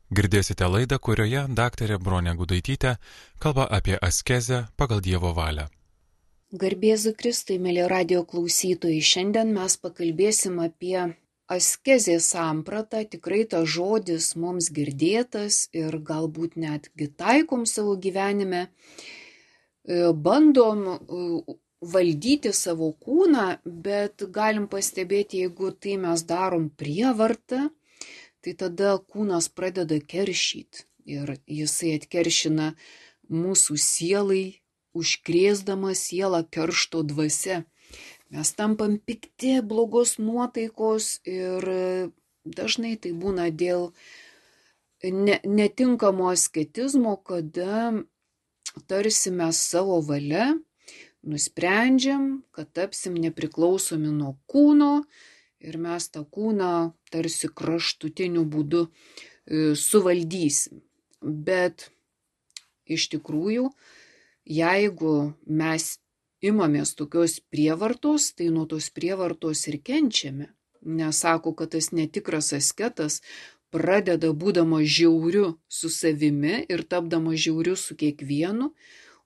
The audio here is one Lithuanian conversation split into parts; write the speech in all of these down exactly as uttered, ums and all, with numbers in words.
Girdėsite laidą, kurioje daktarė Bronė Gudaitytė kalba apie askezę pagal Dievo valią. Garbėzu Kristui, mėly radio klausytojai, šiandien mes pakalbėsim apie askezės sampratą. Tikrai tas žodis mums girdėtas ir galbūt netgi taikom savo gyvenime. Bandom valdyti savo kūną, bet galim pastebėti, jeigu tai mes darom prievartą, tai tada kūnas pradeda keršyti ir jisai atkeršina mūsų sielai, užkrėsdama sielą keršto dvasia. Mes tampam pikti, blogos nuotaikos ir dažnai tai būna dėl ne, netinkamo asketizmo, kada tarsi mes savo valia nusprendžiam, kad tapsim nepriklausomi nuo kūno ir mes tą kūną tarsi kraštutiniu būdu suvaldysim. Bet iš tikrųjų, jeigu mes imamės tokios prievartos, tai nuo tos prievartos ir kenčiame. Nes sako, kad tas netikras asketas pradeda būdamas žiauriu su savimi ir tapdamas žiauriu su kiekvienu,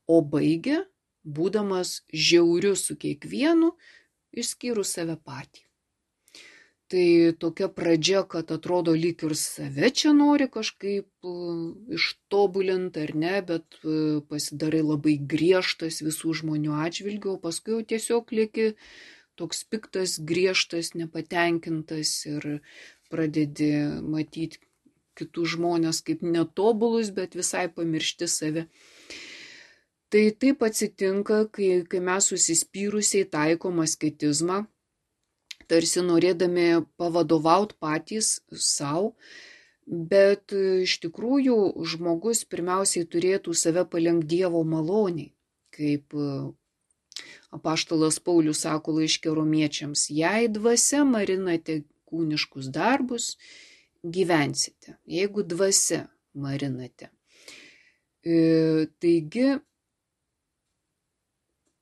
o baigia būdamas žiauriu su kiekvienu, išskyrus save patį. Tai tokia pradžia, kad atrodo lyg ir save čia nori kažkaip ištobulinti ar ne, bet pasidarai labai griežtas visų žmonių atžvilgiu, o paskui jau tiesiog lieki toks piktas, griežtas, nepatenkintas ir pradedi matyti kitus žmonės kaip netobulus, bet visai pamiršti save. Tai taip atsitinka, kai, kai mes susispyrusiai taikom asketizmą, tarsi norėdami pavadovauti patys savo, bet iš tikrųjų žmogus pirmiausiai turėtų save palenkti Dievo maloniai, kaip apaštalas Paulius sako laiške romiečiams, jei dvasia marinate kūniškus darbus, gyvensite, jeigu dvasia marinate. E, taigi,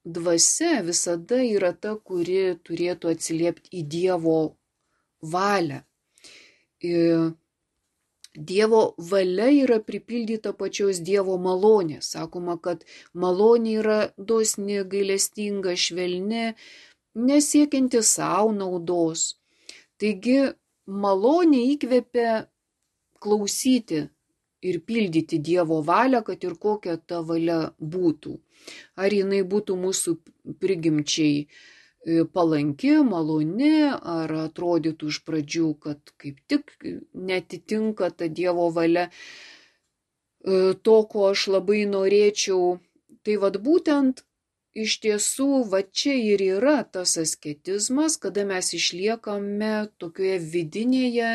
dvasia visada yra ta, kuri turėtų atsiliepti į Dievo valią. Dievo valia yra pripildyta pačios Dievo malonės. Sakoma, kad malonė yra dosni, gailestinga, švelni, nesiekianti savo naudos. Taigi malonė įkvepia klausyti ir pildyti Dievo valią, kad ir kokia ta valia būtų. Ar jinai būtų mūsų prigimčiai palanki, maloni, ar atrodytų iš pradžių, kad kaip tik netitinka ta Dievo valia to, ko aš labai norėčiau. Tai vat būtent iš tiesų va čia ir yra tas asketizmas, kada mes išliekame tokioje vidinėje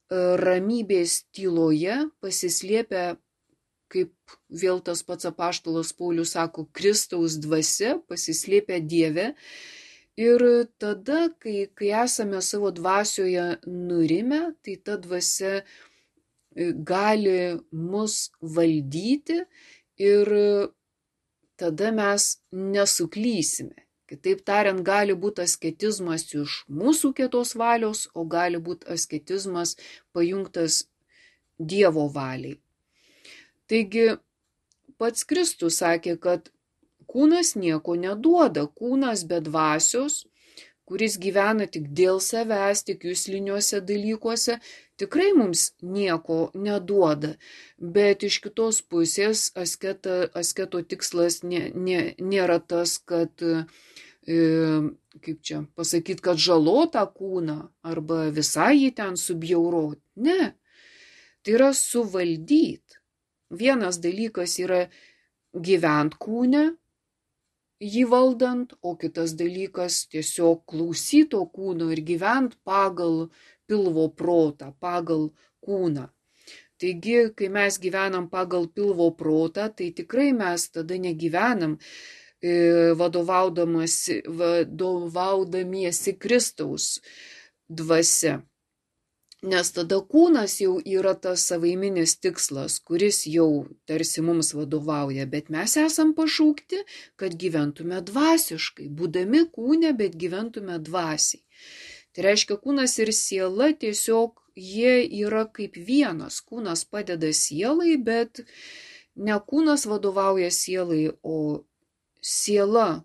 ramybės tyloje, pasislėpę, kaip vėl tas pats apaštalas Paulius sako, Kristaus dvasia, pasislėpę Dieve. Ir tada, kai, kai esame savo dvasioje nurime, tai ta dvasia gali mus valdyti ir tada mes nesuklysime. Kitaip tariant, gali būti asketizmas iš mūsų kietos valios, o gali būti asketizmas pajungtas Dievo valiai. Taigi, pats Kristus sakė, kad kūnas nieko neduoda, kūnas be dvasios, kuris gyvena tik dėl savęs, tik jusliniuose dalykuose, tikrai mums nieko neduoda. Bet iš kitos pusės asketa, asketo tikslas nė, nė, nėra tas, kad, e, kaip čia pasakyti, kad žalotą kūną arba visai jį ten subjauroti. Ne, tai yra suvaldyti. Vienas dalykas yra gyvent kūne, jį valdant, o kitas dalykas tiesiog klausyto kūno ir gyvent pagal pilvo protą, pagal kūną. Taigi, kai mes gyvenam pagal pilvo protą, tai tikrai mes tada negyvenam e, vadovaudamiesi Kristaus dvasia. Nes tada kūnas jau yra tas savaiminis tikslas, kuris jau tarsi mums vadovauja, bet mes esam pašaukti, kad gyventume dvasiškai, būdami kūne, bet gyventume dvasiai. Tai reiškia, kūnas ir siela tiesiog jie yra kaip vienas. Kūnas padeda sielai, bet ne kūnas vadovauja sielai, o siela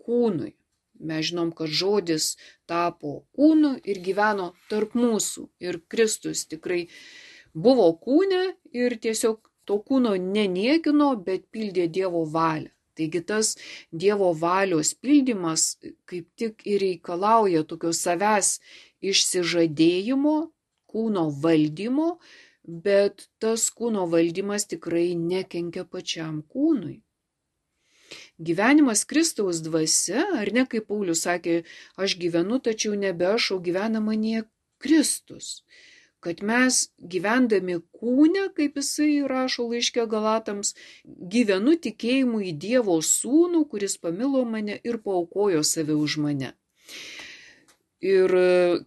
kūnui. Mes žinom, kad žodis tapo kūnu ir gyveno tarp mūsų. Ir Kristus tikrai buvo kūne ir tiesiog to kūno neniekino, bet pildė Dievo valią. Taigi tas Dievo valios pildymas kaip tik ir reikalauja tokio savęs išsižadėjimo, kūno valdymo, bet tas kūno valdymas tikrai nekenkia pačiam kūnui. Gyvenimas Kristaus dvasia, ar ne, kaip Paulius sakė, aš gyvenu, tačiau nebe aš, o gyvena manyje Kristus. Kad mes gyvendami kūne, kaip jisai rašo laiške Galatams, gyvenu tikėjimu į Dievo sūnų, kuris pamilo mane ir paaukojo save už mane. Ir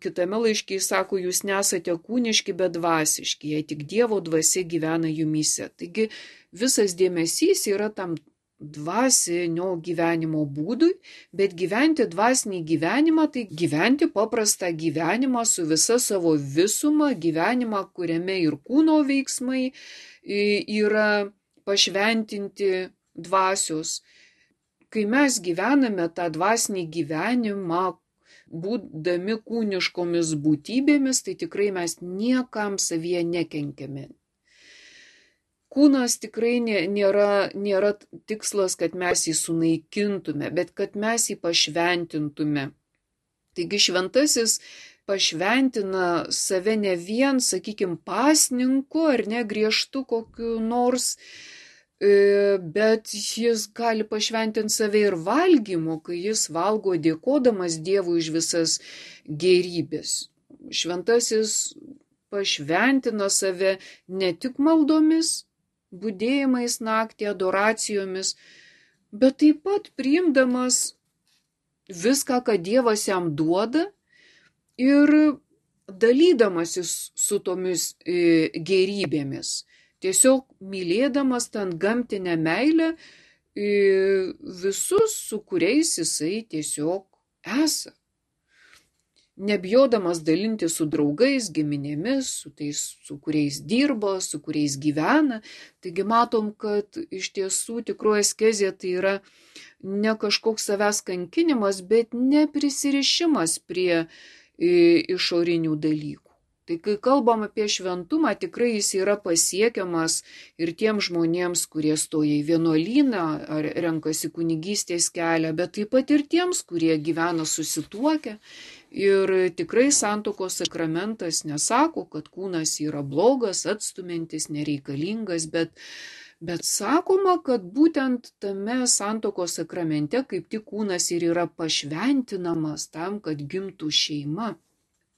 kitame laiške jis sako, jūs nesate kūniški, bet dvasiški, jei tik Dievo dvasia gyvena jumyse. Taigi visas dėmesys yra tam dvasinio gyvenimo būdui, bet gyventi dvasinį gyvenimą, tai gyventi paprastą gyvenimą su visa savo visuma, gyvenimą, kuriame ir kūno veiksmai yra pašventinti dvasios. Kai mes gyvename tą dvasinį gyvenimą, būdami kūniškomis būtybėmis, tai tikrai mes niekam savyje nekenkiame. Kūnas tikrai nėra, nėra tikslas, kad mes jį sunaikintume, bet kad mes jį pašventintume. Taigi šventasis pašventina save ne vien, sakykime, pasninku ar ne griežtu kokiu nors, bet jis gali pašventinti save ir valgymu, kai jis valgo dėkodamas Dievui už visas gėrybės. Šventasis pašventina save ne tik maldomis, budėjimais naktį, adoracijomis, bet taip pat priimdamas viską, ką Dievas jam duoda ir dalydamasis su tomis gėrybėmis. Tiesiog mylėdamas ten gamtinę meilę visus, su kuriais jisai tiesiog esa. Nebijodamas dalinti su draugais, giminėmis, su tais, su kuriais dirba, su kuriais gyvena. Taigi matom, kad iš tiesų tikroji askezė tai yra ne kažkoks savęs kankinimas, bet neprisirišimas prie išorinių dalykų. Tai kai kalbam apie šventumą, tikrai jis yra pasiekiamas ir tiems žmonėms, kurie stoja į vienuolyną ar renkasi kunigystės kelią, bet taip pat ir tiems, kurie gyvena susituokę. Ir tikrai santuokos sakramentas nesako, kad kūnas yra blogas, atstumiantis, nereikalingas, bet, bet sakoma, kad būtent tame santuokos sakramente kaip tik kūnas ir yra pašventinamas tam, kad gimtų šeima.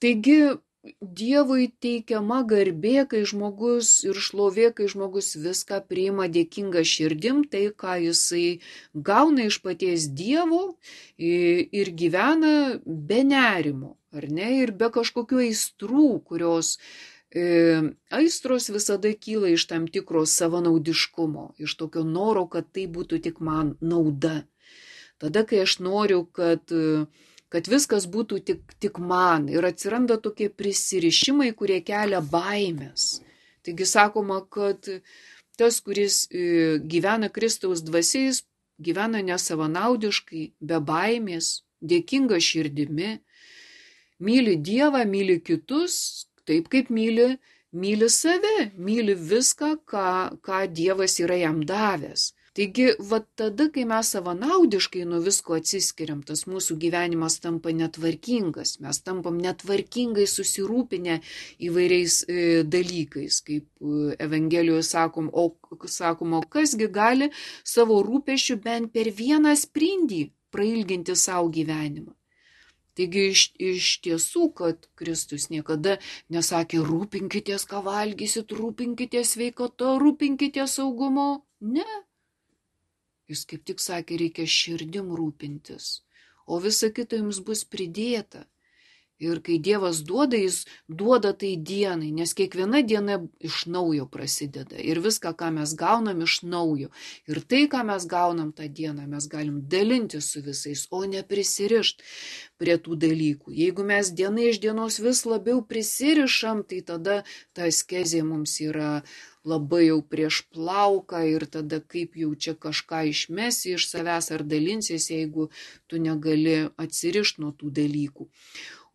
Taigi Dievui teikiama garbė, kai žmogus ir šlovė, kai žmogus viską priima dėkinga širdim, tai ką jisai gauna iš paties Dievo ir gyvena be nerimo, ar ne, ir be kažkokių aistrų, kurios e, aistros visada kyla iš tam tikro savanaudiškumo, iš tokio noro, kad tai būtų tik man nauda. Tada, kai aš noriu, kad kad viskas būtų tik, tik man ir atsiranda tokie prisirišimai, kurie kelia baimės. Taigi sakoma, kad tas, kuris gyvena Kristaus dvasiais, gyvena nesavanaudiškai, be baimės, dėkinga širdimi, myli Dievą, myli kitus, taip kaip myli, myli save, myli viską, ką, ką Dievas yra jam davęs. Taigi, va tada, kai mes savanaudiškai nuo visko atsiskiriam, tas mūsų gyvenimas tampa netvarkingas, mes tampam netvarkingai susirūpinę įvairiais e, dalykais, kaip e, Evangelijoje sakom, o sakoma, kasgi gali savo rūpesčių bent per vieną sprindį prailginti savo gyvenimą. Taigi iš, iš tiesų, kad Kristus niekada nesakė rūpinkitės, ką valgysit, rūpinkitės sveikata, rūpinkitės saugumo, ne. Jis kaip tik sakė, reikia širdim rūpintis, o visa kita jums bus pridėta. Ir kai Dievas duoda, jis duoda tai dienai, nes kiekviena diena iš naujo prasideda. Ir viską, ką mes gaunam, iš naujo. Ir tai, ką mes gaunam tą dieną, mes galim dalinti su visais, o ne prisirišti prie tų dalykų. Jeigu mes diena iš dienos vis labiau prisirišam, tai tada ta askezė mums yra labai jau prieš plauką ir tada kaip jau čia kažką išmesi iš savęs ar dalinsies, jeigu tu negali atsirišti nuo tų dalykų.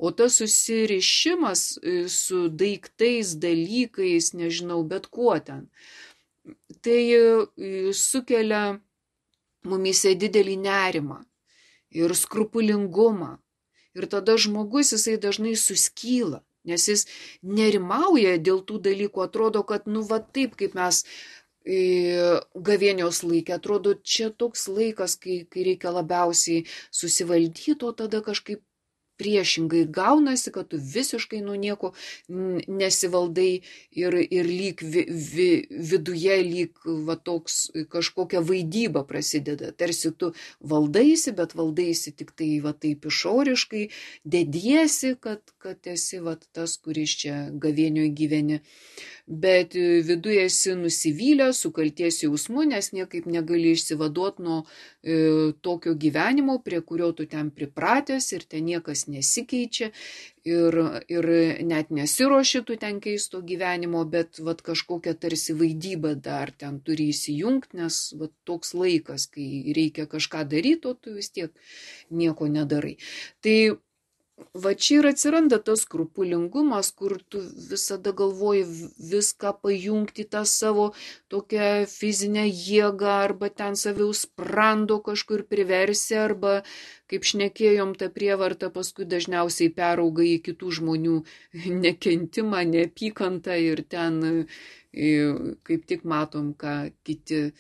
O tas susirišimas su daiktais, dalykais, nežinau, bet kuo ten, tai sukelia mumise didelį nerimą ir skrupulingumą. Ir tada žmogus jisai dažnai suskyla, nes jis nerimauja dėl tų dalykų, atrodo, kad nu va taip kaip mes gavėnios laikė, atrodo, čia toks laikas, kai, kai reikia labiausiai susivaldyti, o tada kažkaip priešingai gaunasi, kad tu visiškai nuo nieko nesivaldai ir, ir lyg vi, vi, viduje lyg va toks kažkokia vaidyba prasideda. Tarsi tu valdaisi, bet valdaisi tik tai va taip išoriškai, dediesi, kad, kad esi va tas, kuris čia gavėnioje gyveni. Bet viduje esi nusivylęs, su kalties jausmu, nes niekaip negali išsivaduoti nuo e, tokio gyvenimo, prie kurio tu ten pripratęs ir ten niekas nesikeičia ir, ir net nesiruoši tu ten keisto gyvenimo, bet vat, kažkokia tarsi vaidyba dar ten turi įsijungti, nes vat, toks laikas, kai reikia kažką daryti, o tu vis tiek nieko nedarai. Tai va čia ir atsiranda tas skrupulingumas, kur tu visada galvoji viską pajungti tą savo tokią fizinę jėgą, arba ten saviaus sprando kažkur priversi, arba, kaip šnekėjom, ta prievarta paskui dažniausiai perauga į kitų žmonių nekentimą, neapykantą ir ten kaip tik matom, ką kiti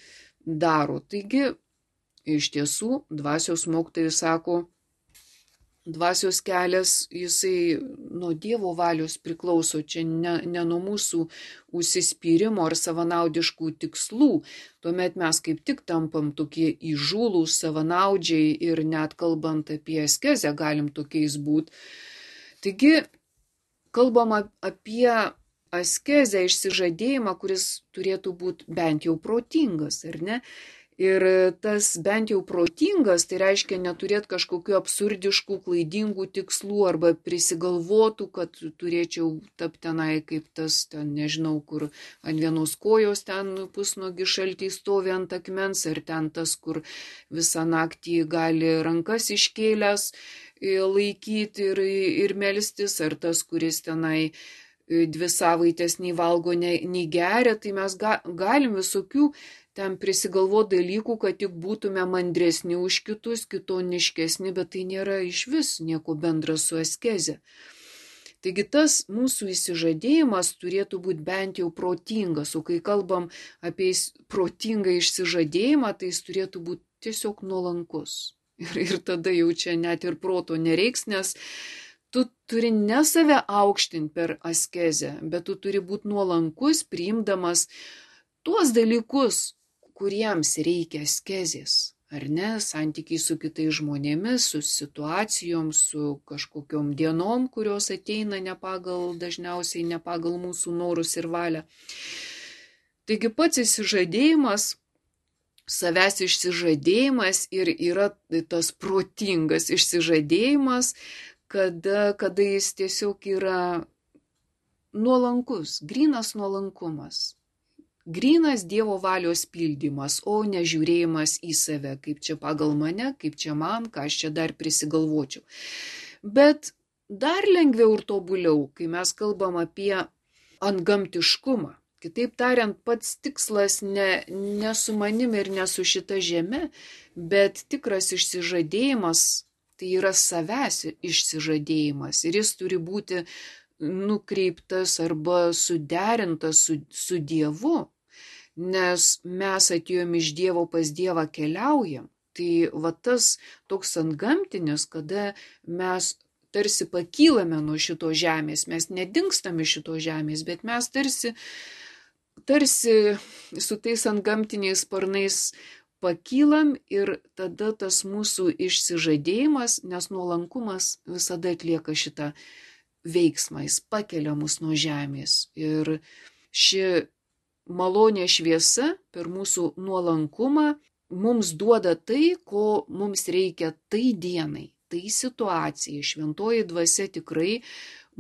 daro. Taigi, iš tiesų, dvasios mokytojai sako, dvasios kelias, jisai nuo Dievo valios priklauso, čia ne, ne nuo mūsų užsispyrimo ar savanaudiškų tikslų. Tuomet mes kaip tik tampam tokie įžūlūs, savanaudžiai ir net kalbant apie askezę galim tokiais būti. Taigi, kalbam apie askezę, išsižadėjimą, kuris turėtų būti bent jau protingas, ar ne? Ir tas bent jau protingas, tai reiškia neturėti kažkokių absurdiškų, klaidingų tikslų arba prisigalvotų, kad turėčiau tapti tenai kaip tas, ten nežinau, kur ant vienos kojos ten pusnuogi šaltį stovi ant akmens, ar ten tas, kur visą naktį gali rankas iškėlęs laikyti ir, ir melstis, ar tas, kuris tenai dvi savaitės nei valgo, nei, nei geria, tai mes ga, galim visokių ten prisigalvo dalykų, kad tik būtume mandresni už kitus, kitoniškesni, bet tai nėra iš vis nieko bendra su askeze. Taigi tas mūsų įsižadėjimas turėtų būti bent jau protingas, o kai kalbam apie protingą išsižadėjimą, tai jis turėtų būti tiesiog nuolankus. Ir, ir tada jau čia net ir proto nereiks, nes tu turi ne save aukštinti per askezę, bet tu turi būti nuolankus, priimdamas tuos dalykus, kuriems reikia askezės, ar ne, santykiai su kitais žmonėmis, su situacijom, su kažkokiom dienom, kurios ateina ne pagal, dažniausiai ne pagal mūsų norus ir valią. Taigi pats įsižadėjimas, savęs išsižadėjimas ir yra tas protingas išsižadėjimas, kada, kada jis tiesiog yra nuolankus, grynas nuolankumas. Grynas Dievo valios pildymas, o ne žiūrėjimas į save, kaip čia pagal mane, kaip čia man, ką aš čia dar prisigalvočiau. Bet dar lengviau ir tobuliau, kai mes kalbam apie antgamtiškumą. Kitaip tariant, pats tikslas ne, ne su manim ir ne su šita žeme, bet tikras išsižadėjimas, tai yra savęs išsižadėjimas ir jis turi būti nukreiptas arba suderintas su, su Dievu, nes mes atėjom iš Dievo pas Dievą keliaujam. Tai va tas toks antgamtinis, kada mes tarsi pakylame nuo šito žemės, mes nedingstame šito žemės, bet mes tarsi, tarsi su tais antgamtiniais sparnais pakylam ir tada tas mūsų išsižadėjimas, nes nuolankumas visada atlieka šitą veiksmą, jis pakelia mus nuo žemės. Ir ši malonė šviesa per mūsų nuolankumą mums duoda tai, ko mums reikia tai dienai, tai situacijai. Šventoji dvasia tikrai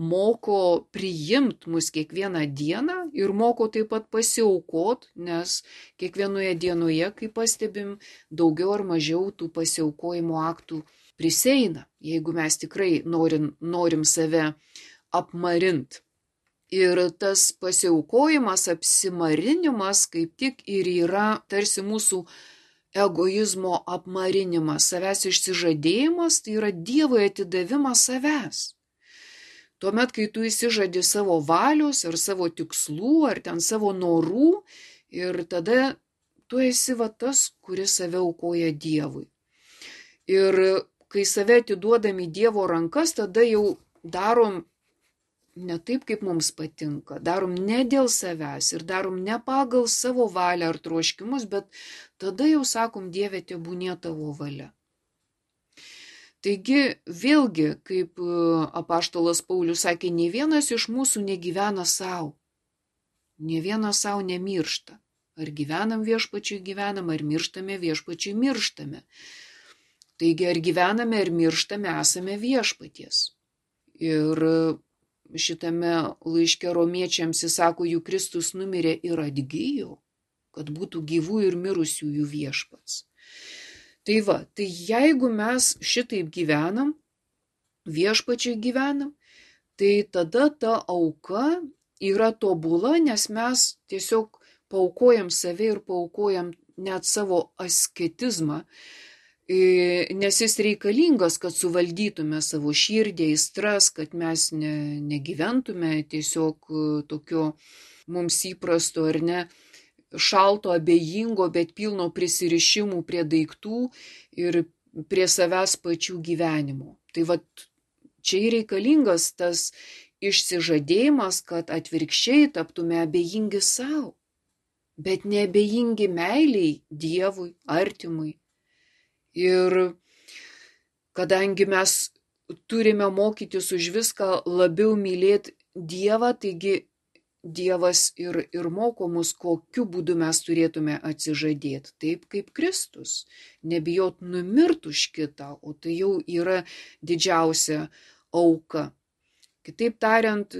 moko priimt mus kiekvieną dieną ir moko taip pat pasiaukot, nes kiekvienoje dienoje, kaip pastebim, daugiau ar mažiau tų pasiaukojimo aktų priseina, jeigu mes tikrai norim, norim save apmarint. Ir tas pasiaukojimas, apsimarinimas kaip tik ir yra tarsi mūsų egoizmo apmarinimas, savęs išsižadėjimas, tai yra Dievui atidavimas savęs. Tuomet, kai tu įsižadi savo valios ar savo tikslų, ar ten savo norų, ir tada tu esi va tas, kuris save aukoja Dievui. Ir kai save atiduodam į Dievo rankas, tada jau darom ne taip, kaip mums patinka, darom ne dėl savęs ir darom ne pagal savo valią ar troškimus, bet tada jau sakom, Dieve, tebūnie tavo valia. Taigi, vėlgi, kaip apaštalas Paulius sakė, nei vienas iš mūsų negyvena savo, nei vienas savo nemiršta. Ar gyvenam viešpačiui gyvenam, ar mirštame viešpačiui mirštame. Taigi, ar gyvename, ar mirštame, esame viešpaties. Ir šitame laiške romiečiams jis sako, juk Kristus numirė ir atgijo, kad būtų gyvų ir mirusiųjų viešpats. Tai va, tai jeigu mes šitaip gyvenam, viešpačiai gyvenam, tai tada ta auka yra tobula, nes mes tiesiog paaukojam save ir paaukojam net savo asketizmą, nes jis reikalingas, kad suvaldytume savo širdį, aistras, kad mes ne, negyventume tiesiog tokio mums įprasto ar ne, šalto, abejingo, bet pilno prisirišimų prie daiktų ir prie savęs pačių gyvenimo. Tai va, čia reikalingas tas išsižadėjimas, kad atvirkščiai taptume abejingi savo, bet neabejingi meiliai Dievui, artimui. Ir kadangi mes turime mokytis už viską labiau mylėti Dievą, taigi Dievas ir, ir moko mus, kokiu būdu mes turėtume atsižadėti, taip kaip Kristus. Nebijot numirt už kitą, o tai jau yra didžiausia auka. Kitaip tariant,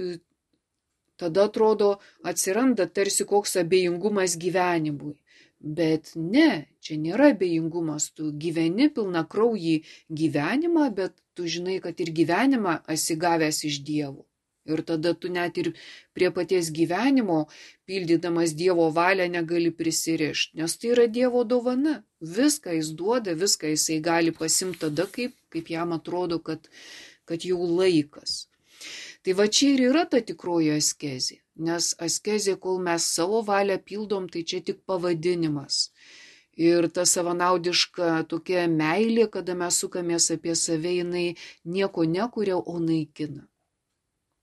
tada atrodo atsiranda tarsi koks abejingumas gyvenimui. Bet ne, čia nėra abejingumas, tu gyveni pilna kraujį gyvenimą, bet tu žinai, kad ir gyvenimą esi gavęs iš Dievo. Ir tada tu net ir prie paties gyvenimo, pildydamas Dievo valią, negali prisirišti, nes tai yra Dievo dovana. Viską jis duoda, viską jisai gali pasimti tada, kaip, kaip jam atrodo, kad, kad jau laikas. Tai va čia ir yra ta tikroji askezė, nes askezė, kol mes savo valią pildom, tai čia tik pavadinimas. Ir ta savanaudiška tokia meilė, kada mes sukamės apie save, jinai nieko nekuria, o naikina.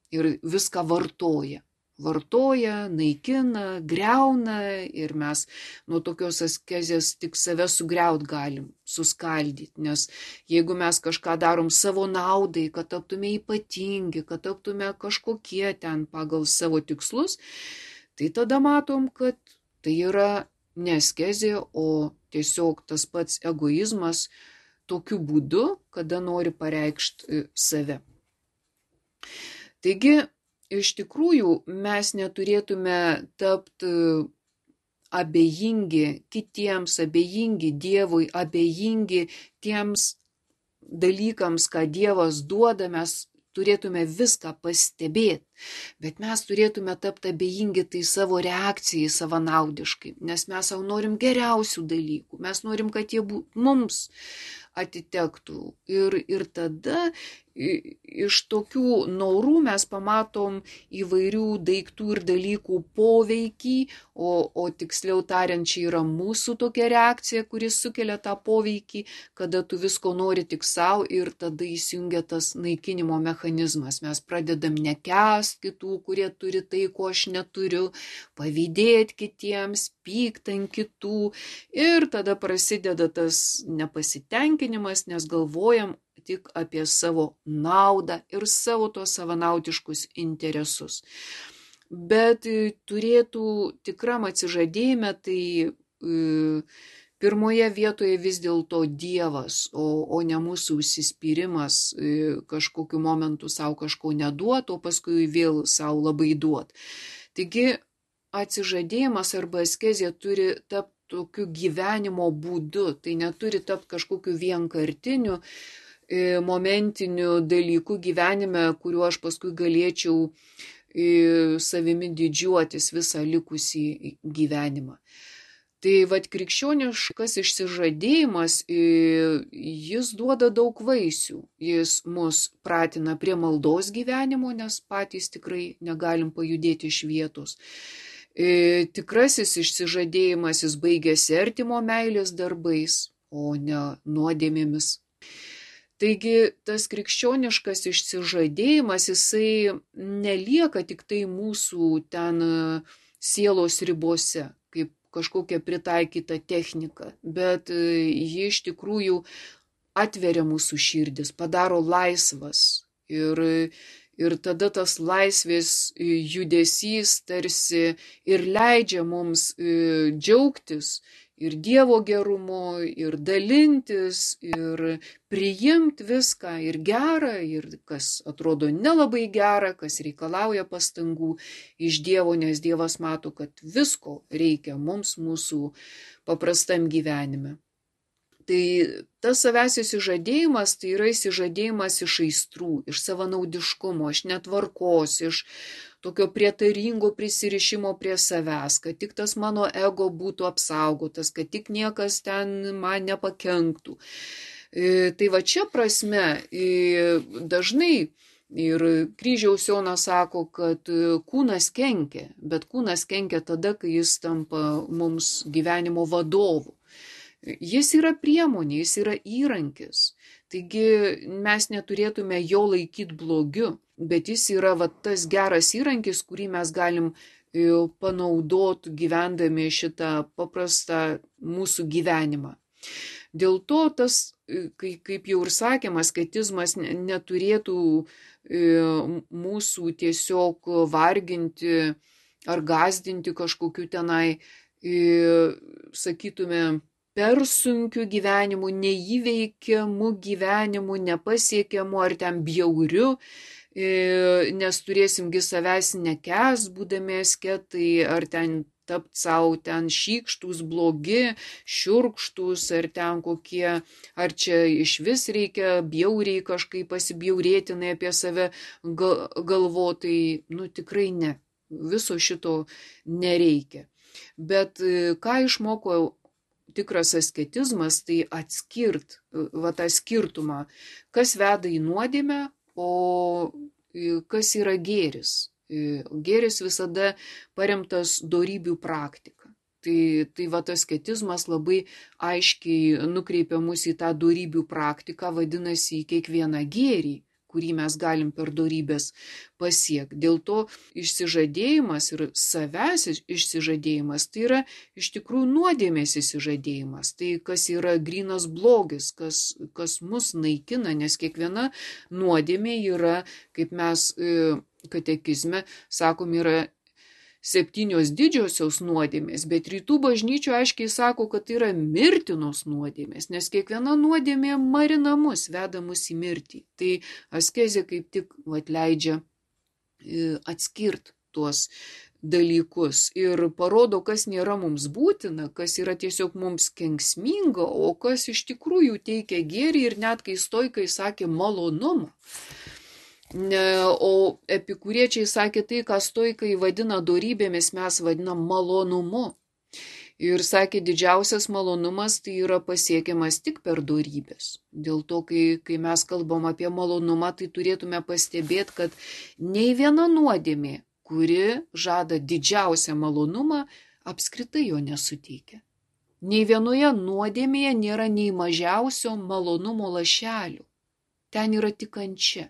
Ir viską vartoja. Vartoja, naikina, greuna ir mes nuo tokios askezės tik save sugriaut galim, suskaldyti. Nes jeigu mes kažką darom savo naudai, kad taptume ypatingi, kad taptume kažkokie ten pagal savo tikslus, tai tada matom, kad tai yra ne askezė, o tiesiog tas pats egoizmas tokiu būdu, kada nori pareikšti save. Taigi, iš tikrųjų, mes neturėtume tapti abejingi kitiems, abejingi Dievui, abejingi tiems dalykams, ką Dievas duoda, mes turėtume viską pastebėti, bet mes turėtume tapti abejingi tai savo reakcijai savanaudiškai, nes mes savo norim geriausių dalykų, mes norim, kad jie būtų mums atitektų. Ir, ir tada iš tokių norų mes pamatom įvairių daiktų ir dalykų poveikį, o, o tiksliau tariant, čia yra mūsų tokia reakcija, kuris sukelia tą poveikį, kada tu visko nori tik savo ir tada įsijungia tas naikinimo mechanizmas. Mes pradedam nekęst, spaust kitų, kurie turi tai, ko aš neturiu, pavydėti kitiems, pykt ant kitų. Ir tada prasideda tas nepasitenkinimas, nes galvojam tik apie savo naudą ir savo tos savanaudiškus interesus. Bet turėtų tikram atsižadėjime, tai e, pirmoje vietoje vis dėlto Dievas, o, o ne mūsų užsispyrimas e, kažkokiu momentu savo kažko neduot, o paskui vėl savo labai duot. Taigi atsižadėjimas arba askezė turi tapti tokiu gyvenimo būdu, tai neturi tapti kažkokiu vienkartiniu e, momentiniu dalyku gyvenime, kuriuo aš paskui galėčiau savimi didžiuotis visą likusį gyvenimą. Tai vat krikščioniškas išsižadėjimas, jis duoda daug vaisių. Jis mus pratina prie maldos gyvenimo, nes patys tikrai negalim pajudėti iš vietos. Tikrasis išsižadėjimas, jis baigėsi artimo meilės darbais, o ne nuodėmėmis. Taigi tas krikščioniškas išsižadėjimas, jisai nelieka tik tai mūsų ten sielos ribose, kaip kažkokia pritaikyta technika, bet ji iš tikrųjų atveria mūsų širdis, padaro laisvas. Ir, ir tada tas laisvės judesys tarsi ir leidžia mums džiaugtis ir Dievo gerumu, ir dalintis, ir priimti viską, ir gerą, ir kas atrodo nelabai gera, kas reikalauja pastangų iš Dievo, nes Dievas mato, kad visko reikia mums mūsų paprastam gyvenime. Tai tas savęs įsižadėjimas, tai yra įsižadėjimas iš aistrų, iš savanaudiškumo, iš netvarkos, iš tokio prietaringo prisirišimo prie savęs, kad tik tas mano ego būtų apsaugotas, kad tik niekas ten man nepakenktų. E, tai va čia prasme e, dažnai ir kryžiaus Jonas sako, kad kūnas kenkia, bet kūnas kenkia tada, kai jis tampa mums gyvenimo vadovu. Jis yra priemonė, jis yra įrankis. Taigi mes neturėtume jo laikyti blogiu, bet jis yra va, tas geras įrankis, kurį mes galim panaudoti gyvendami šitą paprastą mūsų gyvenimą. Dėl to tas, kaip jau ir sakėm, asketizmas neturėtų mūsų tiesiog varginti ar gąsdinti kažkokiu tenai, sakytume, per sunkiu gyvenimu, neįveikiamu gyvenimu, nepasiekiamu ar ten bjauriu, nes turėsimgi savęs nekęs, būdami asketai, ar ten tapti savo ten šykštus, blogi, šiurkštus, ar ten kokie, ar čia iš vis reikia bjauriai kažkaip pasibjaurėtinai apie save galvotai, nu tikrai ne, viso šito nereikia. Bet ką išmoko tikras asketizmas, tai atskirt va, tą skirtumą, kas veda į nuodėmę, o kas yra gėris. Gėris visada paremtas dorybių praktika. Tai, tai va, tas asketizmas labai aiškiai nukreipia mus į tą dorybių praktiką, vadinasi, į kiekvieną gėrį, kurį mes galim per dorybės pasiekti. Dėl to išsižadėjimas ir savęs išsižadėjimas, tai yra iš tikrųjų nuodėmės išsižadėjimas. Tai kas yra grynas blogis, kas, kas mus naikina, nes kiekviena nuodėmė yra, kaip mes katekizme sakom, yra septynios didžiosios nuodėmės, bet rytų bažnyčio aiškiai sako, kad tai yra mirtinos nuodėmės, nes kiekviena nuodėmė marina mus, veda mus į mirtį. Tai askezė kaip tik vat, leidžia atskirti tuos dalykus ir parodo, kas nėra mums būtina, kas yra tiesiog mums kenksminga, o kas iš tikrųjų teikia gėrį ir net kai stoikai sakė malonumą. O epikuriečiai sakė tai, ką stoikai vadina dorybėmis, mes vadinam malonumu. Ir sakė, didžiausias malonumas tai yra pasiekiamas tik per dorybės. Dėl to, kai, kai mes kalbam apie malonumą, tai turėtume pastebėti, kad nei viena nuodėmė, kuri žada didžiausią malonumą, apskritai jo nesuteikia. Nei vienoje nuodėmėje nėra nei mažiausio malonumo lašelio. Ten yra tik kančia.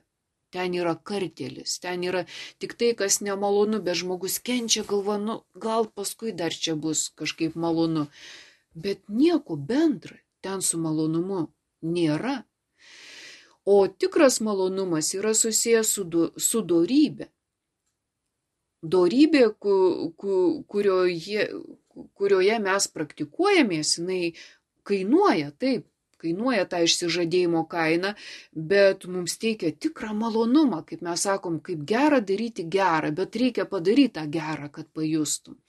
ten yra kartėlis, ten yra tik tai, kas nemalonu, bet žmogus kenčia, galva, nu, gal paskui dar čia bus kažkaip malonu. Bet nieko bendra ten su malonumu nėra. O tikras malonumas yra susijęs su, do, su dorybė. Dorybė, ku, ku, kurioje, kurioje mes praktikuojamės, jinai kainuoja, taip, kainuoja tą išsižadėjimo kainą, bet mums teikia tikrą malonumą, kaip mes sakom, kaip gera daryti gerą, bet reikia padaryti tą gerą, kad pajustum.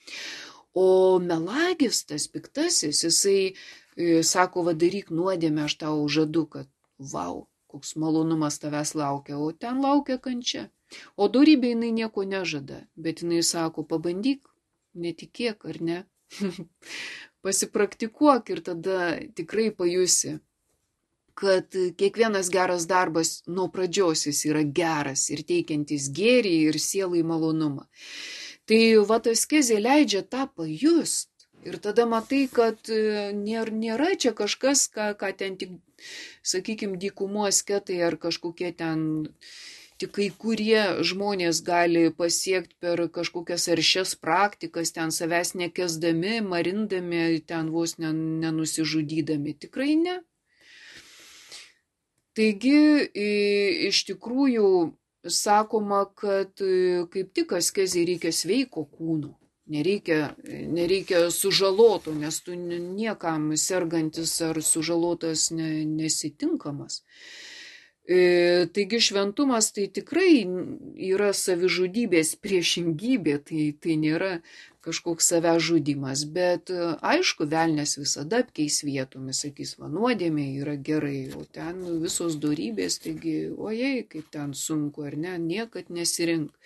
O melagis, tas piktasis, jisai e, sako, va daryk nuodėmę, aš tau žadu, kad vau, koks malonumas tavęs laukia, o ten laukia kančia. O dorybė jinai nieko nežada, bet jinai sako, pabandyk, netikėk ar ne, pasipraktikuok ir tada tikrai pajusi, kad kiekvienas geras darbas nuo pradžios jis yra geras ir teikiantis gėrį ir sielai malonumą. Tai va askezė leidžia tą pajust. Ir tada matai, kad nėra, nėra čia kažkas, ką, ką ten tik, sakykime, dykumo asketai ar kažkokie ten, tik kai kurie žmonės gali pasiekti per kažkokias aršias praktikas, ten savęs nekesdami, marindami, ten vos nenusižudydami. Tikrai ne. Taigi, iš tikrųjų, sakoma, kad kaip tik askezei reikia sveiko kūno. Nereikia, nereikia sužaloto, nes tu niekam sergantis ar sužalotas ne, nesitinkamas. E, taigi šventumas tai tikrai yra savižudybės priešingybė, tai, tai nėra kažkoks savęs žudimas, bet aišku, velnias visada apkeis vietomis, sakys, va nuodėmė yra gerai, o ten visos dorybės, taigi, ojei, kaip ten sunku, ar ne, niekad nesirink.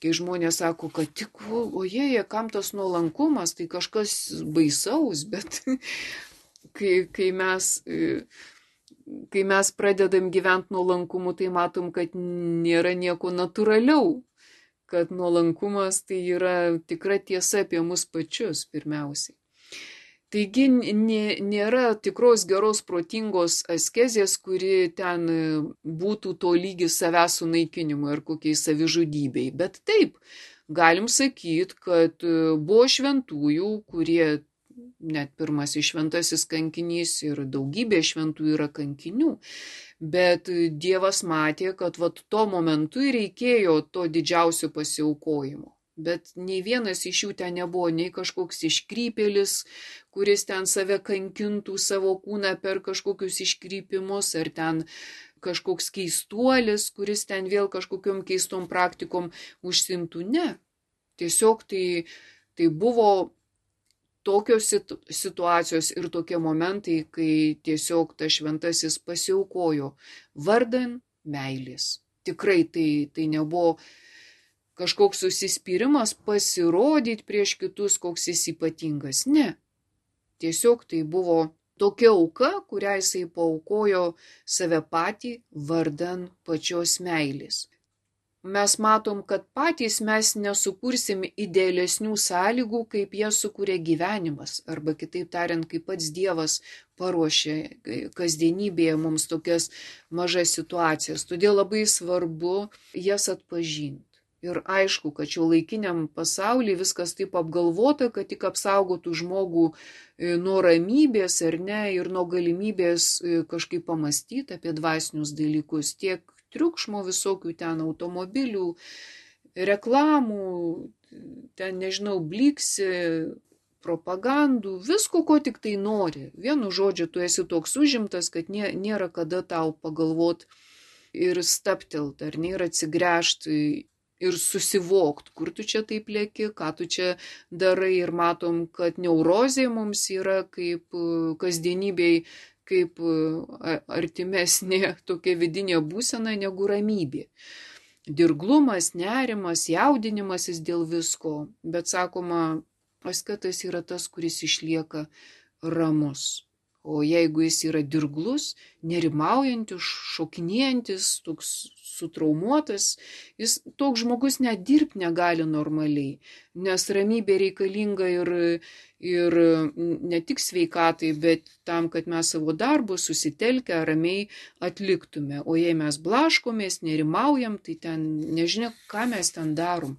Kai žmonės sako, kad tik, ojei, kam tas nuolankumas, tai kažkas baisaus, bet kai, kai, mes, kai mes pradedam gyventi nuolankumu, tai matom, kad nėra nieko natūraliau, kad nuolankumas tai yra tikra tiesa apie mus pačius pirmiausiai. Taigi nėra tikros geros protingos askezės, kuri ten būtų to lygis savęs sunaikinimui ar kokiai savižudybei. Bet taip, galim sakyti, kad buvo šventųjų, kurie, net pirmasis šventasis kankinys ir daugybė šventųjų yra kankinių, bet Dievas matė, kad vat to momentu reikėjo to didžiausio pasiaukojimo. Bet nei vienas iš jų ten nebuvo nei kažkoks iškrypėlis, kuris ten save kankintų savo kūną per kažkokius iškrypimus, ar ten kažkoks keistuolis, kuris ten vėl kažkokiom keistom praktikom užsimtų. Ne. Tiesiog tai, tai buvo tokios situacijos ir tokie momentai, kai tiesiog tas šventasis pasiaukojo vardan meilės. Tikrai tai, tai nebuvo kažkoks susispyrimas pasirodyti prieš kitus, koks jis ypatingas. Ne. Tiesiog tai buvo tokia auka, kurią jisai paaukojo save patį vardan pačios meilės. Mes matom, kad patys mes nesukursim idealesnių sąlygų, kaip jie sukuria gyvenimas, arba kitaip tariant, kaip pats Dievas paruošia kasdienybėje mums tokias mažas situacijas. Todėl labai svarbu jas atpažinti. Ir aišku, kad šio laikiniam pasaulyje viskas taip apgalvota, kad tik apsaugotų žmogų nuo ramybės ar ne ir nuo galimybės kažkaip pamastyti apie dvasinius dalykus. Tiek triukšmo visokių ten automobilių, reklamų, ten nežinau, bliksi, propagandų, visko, ko tik tai nori. Vienu žodžiu, tu esi toks užimtas, kad nė, nėra kada tau pagalvoti ir staptelt, ar nėra atsigręžti ir susivokt, kur tu čia taip lėki, ką tu čia darai, ir matom, kad neurozė mums yra kaip kasdienybėj, kaip artimesnė tokia vidinė būsena negu ramybė. Dirglumas, nerimas, jaudinimasis dėl visko, bet sakoma, asketas yra tas, kuris išlieka ramus. O jeigu jis yra dirglus, nerimaujantis, šokinėjantis, toks sutraumuotas, jis toks žmogus net dirbti negali normaliai, nes ramybė reikalinga ir, ir ne tik sveikatai, bet tam, kad mes savo darbus susitelkę ramiai atliktume. O jei mes blaškomės, nerimaujam, tai ten nežinia, ką mes ten darom.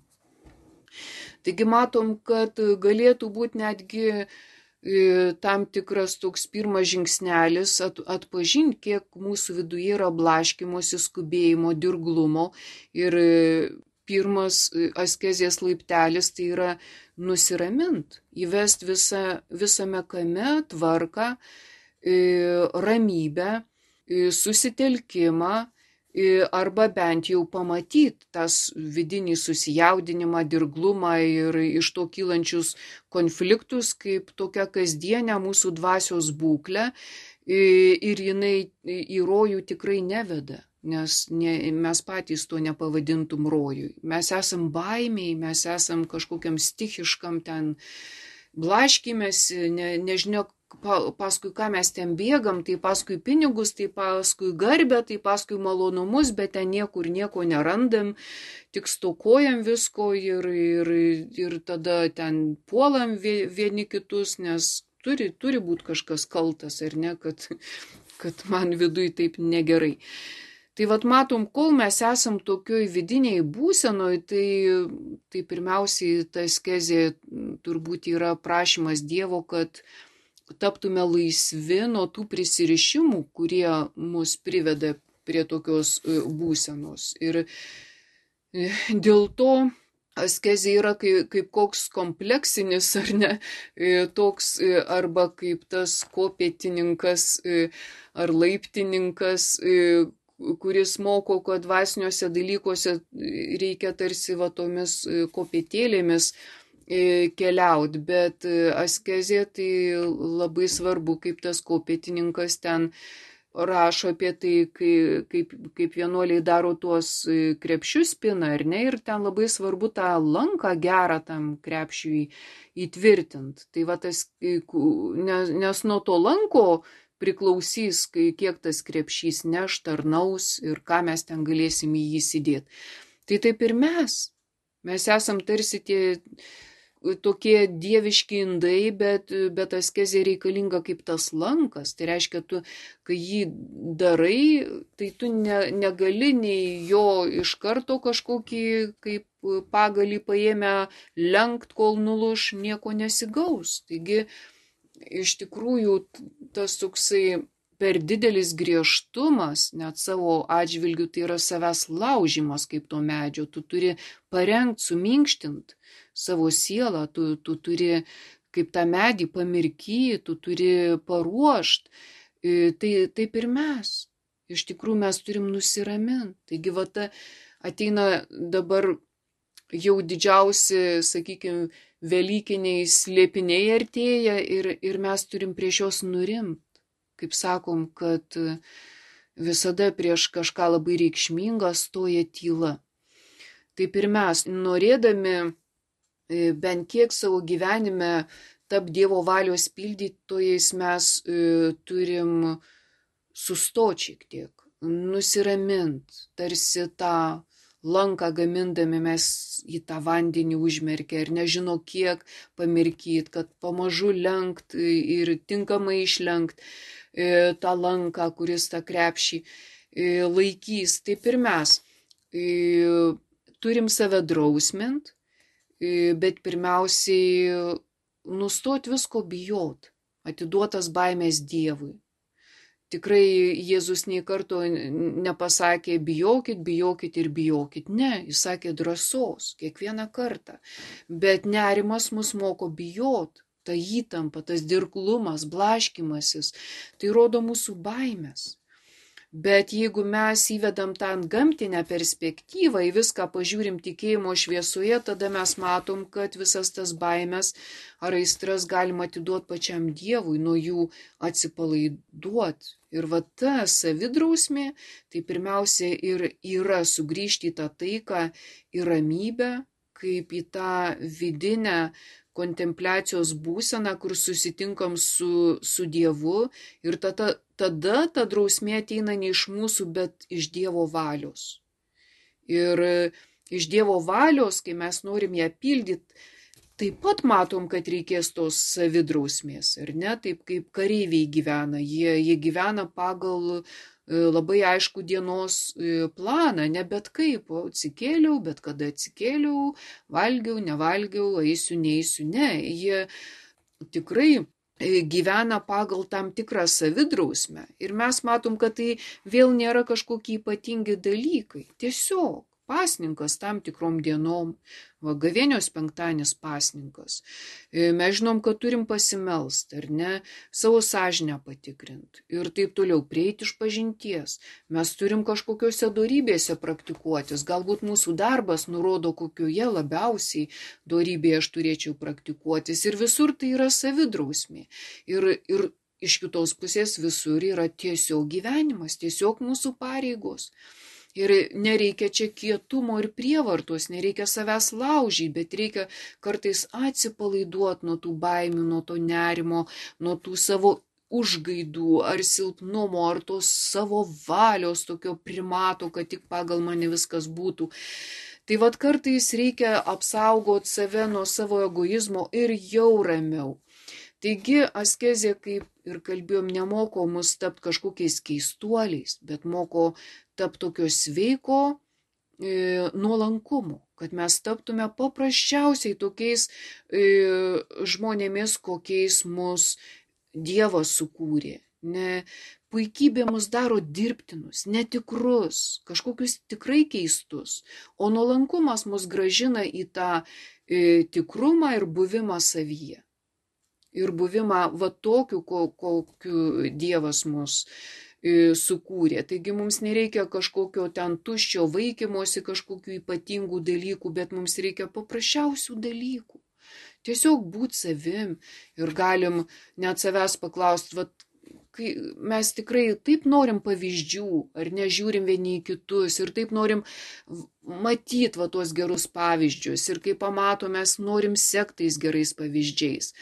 Taigi matom, kad galėtų būti netgi tam tikras toks pirmas žingsnelis at, atpažinti, kiek mūsų viduje yra blaškymosi, skubėjimo, dirglumo. Ir pirmas askezės laiptelis tai yra nusiramint, įvest visą, visame kame tvarką, ramybę, susitelkimą, arba bent jau pamatyti tas vidinį susijaudinimą, dirglumą ir iš to kylančius konfliktus kaip tokia kasdienė mūsų dvasios būklė ir jinai į rojų tikrai neveda, nes ne, mes patys to nepavadintum rojui. Mes esam baimiai, mes esam kažkokiam stichiškam ten blaškymės, ne, nežinia, paskui ką mes ten bėgam, tai paskui pinigus, tai paskui garbę, tai paskui malonumus, bet ten niekur nieko nerandam, tik stokojam visko ir, ir, ir tada ten puolam vieni kitus, nes turi, turi būti kažkas kaltas, ar ne, kad, kad man viduj taip negerai. Tai vat matom, kol mes esam tokioj vidiniai būsenoj, tai, tai pirmiausiai ta askezė turbūt yra prašymas Dievo, kad taptume laisvi nuo tų prisirišimų, kurie mus priveda prie tokios būsenos. Ir dėl to askezė yra kaip, kaip koks kompleksinis, ar ne, toks, arba kaip tas kopėtininkas ar laiptininkas, kuris moko, kad dvasiniuose dalykuose reikia tarsi va tomis kopėtėlėmis keliaut, bet askezė tai labai svarbu, kaip tas kopėtininkas ten rašo apie tai, kaip, kaip, kaip vienuoliai daro tuos krepšius pina, ar ne, ir ten labai svarbu tą lanką gerą tam krepšiui įtvirtint. Tai va tas, nes, nes nuo to lanko priklausys, kiek tas krepšys neš, tarnaus ir ką mes ten galėsim į jį įsidėti. Tai taip ir mes. Mes esam tarsi tie tokie dieviški indai, bet, bet askezė reikalinga kaip tas lankas. Tai reiškia, tu, kai jį darai, tai tu ne, negali nei jo iš karto kažkokį kaip pagalį paėmę lenkt, kol nuluš, nieko nesigaus. Taigi, iš tikrųjų, tas toksai per didelis griežtumas, net savo atžvilgių, tai yra savęs laužimas kaip to medžio. Tu turi parengti, suminkštint savo sielą, tu, tu turi kaip tą medį pamirkyti, tu turi paruošti. Tai taip ir mes. Iš tikrųjų mes turim nusiraminti. Taigi va ta ateina dabar jau didžiausi, sakykime, velykiniai slėpiniai artėja ir, ir mes turim prieš juos nurimti. Kaip sakom, kad visada prieš kažką labai reikšmingą stoja tyla. Taip ir mes, norėdami bent kiek savo gyvenime tap Dievo valios pildytojais, mes turim sustoti šiek tiek, nusiramint, tarsi tą lanką gamindami mes į tą vandenį užmerkę ir nežino kiek pamirkyt, kad pamažu lenkt ir tinkamai išlenkt tą lanką, kuris tą krepšį laikys. Taip ir mes turim save drausmint, bet pirmiausiai nustot visko bijot, atiduotas baimės Dievui. Tikrai Jėzus nei karto nepasakė bijokit, bijokit ir bijokit. Ne, jis sakė drąsos kiekvieną kartą. Bet nerimas mus moko bijot. Ta įtampa, tas dirglumas, blaškymasis, tai rodo mūsų baimės. Bet jeigu mes įvedam tą gamtinę perspektyvą, į viską pažiūrim tikėjimo šviesoje, tada mes matom, kad visas tas baimės ar aistras galima atiduoti pačiam Dievui, nuo jų atsipalaiduoti. Ir va ta savidrausmė, tai pirmiausia ir yra sugrįžti į tą taiką, į ramybę, kaip į tą vidinę kontempliacijos būseną, kur susitinkam su, su Dievu ir tada, tada ta drausmė ateina ne iš mūsų, bet iš Dievo valios. Ir iš Dievo valios, kai mes norim ją pildyti, taip pat matom, kad reikės tos savidrausmės, ar ne? Taip kaip kareiviai gyvena. Jie, jie gyvena pagal labai aišku dienos planą, ne bet kaip, o atsikėliau, bet kada atsikėliau, valgiau, nevalgiau, eisiu, neisiu, ne. Jie tikrai gyvena pagal tam tikrą savidrausmę ir mes matom, kad tai vėl nėra kažkokie ypatingi dalykai. Tiesiog pasninkas tam tikrom dienom, va, gavėnios penktadienis pasninkas. Mes žinom, kad turim pasimelst, ar ne, savo sąžinę patikrinti ir taip toliau, prieiti iš pažinties. Mes turim kažkokiose dorybėse praktikuotis, galbūt mūsų darbas nurodo, kokioje labiausiai dorybėje aš turėčiau praktikuotis ir visur tai yra savidrausmė. Ir, ir iš kitos pusės visur yra tiesiog gyvenimas, tiesiog mūsų pareigos. Ir nereikia čia kietumo ir prievartos, nereikia savęs laužyti, bet reikia kartais atsipalaiduoti nuo tų baimių, nuo to nerimo, nuo tų savo užgaidų ar silpnumo, ar tos savo valios tokio primato, kad tik pagal mane viskas būtų. Tai vad kartais reikia apsaugoti save nuo savo egoizmo ir jau ramiau. Taigi askezė, kaip ir kalbėjom, nemoko mus tapti kažkokiais keistuoliais, bet moko tapti tokio sveiko e, nuolankumo, kad mes taptume paprasčiausiai tokiais e, žmonėmis, kokiais mus Dievas sukūrė. Ne, puikybė mus daro dirbtinus, netikrus, kažkokius tikrai keistus, o nuolankumas mus gražina į tą e, tikrumą ir buvimą savyje. Ir buvimą va tokiu, kokiu Dievas mus sukūrė. Taigi mums nereikia kažkokio ten tuščio vaikymosi, kažkokių ypatingų dalykų, bet mums reikia paprasčiausių dalykų. Tiesiog būti savim ir galim net savęs paklausti, va, kai mes tikrai taip norim pavyzdžių, ar nežiūrim vieni į kitus ir taip norim matyti va tuos gerus pavyzdžius ir kai pamatom, mes norim sekti tais gerais pavyzdžiais.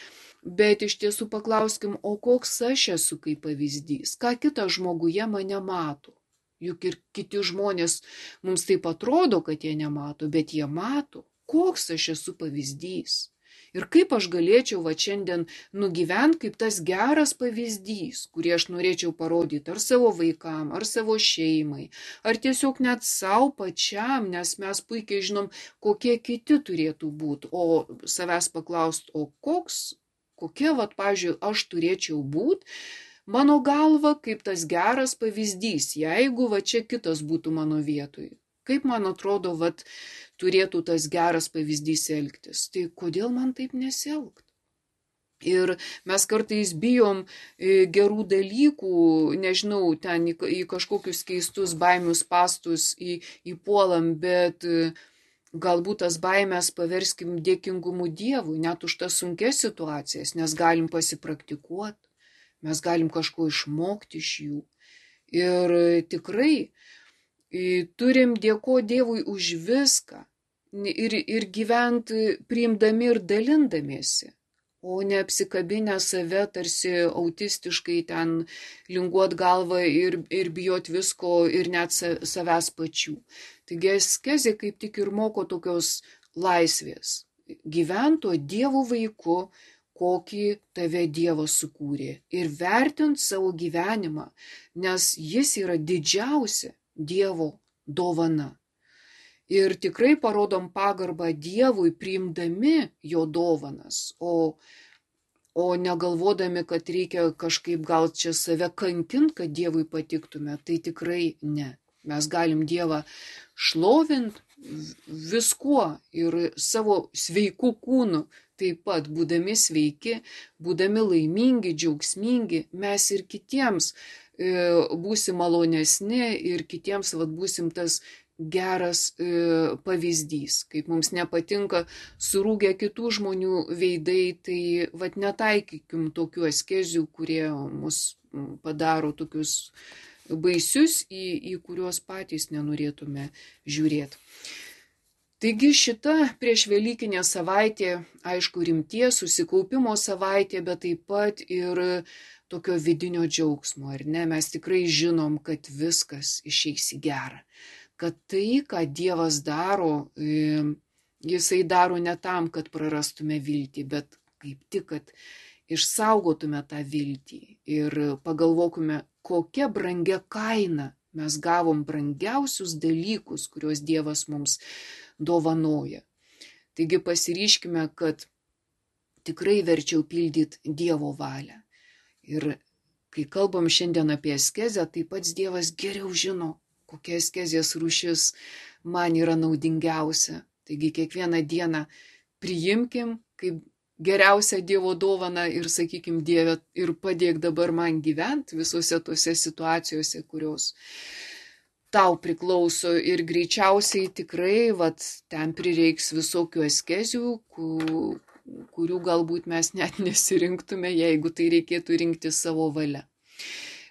Bet iš tiesų paklauskim, o koks aš esu kaip pavyzdys, ką kitas žmoguje mane mato. Juk ir kiti žmonės mums taip atrodo, kad jie nemato, bet jie mato, koks aš esu pavyzdys. Ir kaip aš galėčiau va šiandien nugyventi kaip tas geras pavyzdys, kurį aš norėčiau parodyti ar savo vaikam, ar savo šeimai, ar tiesiog net savo pačiam, nes mes puikiai žinom, kokie kiti turėtų būti, o savęs paklausti, o koks Kokia, vat, pavyzdžiui, aš turėčiau būti, mano galva, kaip tas geras pavyzdys, jeigu va čia kitas būtų mano vietoj. Kaip man atrodo, vat, turėtų tas geras pavyzdys elgtis. Tai kodėl man taip nesielgti? Ir mes kartais bijom gerų dalykų, nežinau, ten į, į kažkokius keistus baimius pastus į, įpuolam, bet galbūt tas baimės paverskim dėkingumu Dievui, net už tas sunkias situacijas, nes galim pasipraktikuoti, mes galim kažko išmokti iš jų. Ir tikrai turim dėkoti Dievui už viską ir, ir gyventi priimdami ir dalindamiesi, o ne apsikabinę save tarsi autistiškai ten linguot galvą ir, ir bijot visko ir net savęs pačių. Taigi askezė kaip tik ir moko tokios laisvės. Gyvento Dievo vaiku, kokį tave Dievas sukūrė. Ir vertint savo gyvenimą, nes jis yra didžiausia Dievo dovana. Ir tikrai parodom pagarbą Dievui priimdami jo dovanas, o, o negalvodami, kad reikia kažkaip gal čia save kankinti, kad Dievui patiktume, tai tikrai ne. Mes galim Dievą šlovint viskuo ir savo sveiku kūnu, taip pat būdami sveiki, būdami laimingi, džiaugsmingi, mes ir kitiems e, būsim malonesni ir kitiems vat, būsim tas geras e, pavyzdys. Kaip mums nepatinka surūgę kitų žmonių veidai, tai vat, netaikykim tokių askezių, kurie mus padaro tokius baisius, į, į kuriuos patys nenorėtume žiūrėti. Taigi šita priešvelykinė savaitė, aišku, rimties, susikaupimo savaitė, bet taip pat ir tokio vidinio džiaugsmo, ar ne? Mes tikrai žinom, kad viskas išeis į gerą, kad tai, ką Dievas daro, jisai daro ne tam, kad prarastume viltį, bet kaip tik, kad išsaugotume tą viltį ir pagalvokume, kokia brangia kaina mes gavom brangiausius dalykus, kuriuos Dievas mums dovanoja. Taigi pasiryškime, kad tikrai verčiau pildyti Dievo valią. Ir kai kalbam šiandien apie askezę, tai pats Dievas geriau žino, kokia askezės rūšis man yra naudingiausia. Taigi kiekvieną dieną priimkim kaip geriausią Dievo dovaną ir sakykim, Dieve, ir padėk dabar man gyventi visose tose situacijose, kurios tau priklauso, ir greičiausiai tikrai vat, ten prireiks visokių askezių, kurių galbūt mes net nesirinktume, jeigu tai reikėtų rinkti savo valia.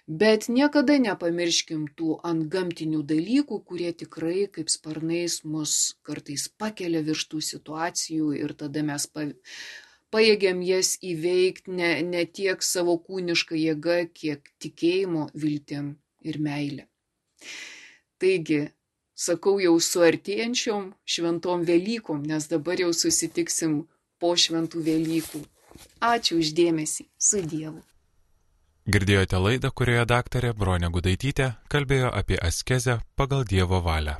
Bet niekada nepamirškim tų antgamtinių dalykų, kurie tikrai kaip sparnais mus kartais pakelia virš tų situacijų ir tada mes pajėgiam jas įveikti ne, ne tiek savo kūnišką jėgą, kiek tikėjimo, viltim ir meilė. Taigi, sakau jau su artėjančiom šventom Velykom, nes dabar jau susitiksim po šventų Velykų. Ačiū už dėmesį. Su Dievu. Girdėjote laidą, kurioje daktarė Bronė Gudaitytė kalbėjo apie askezę pagal Dievo valią.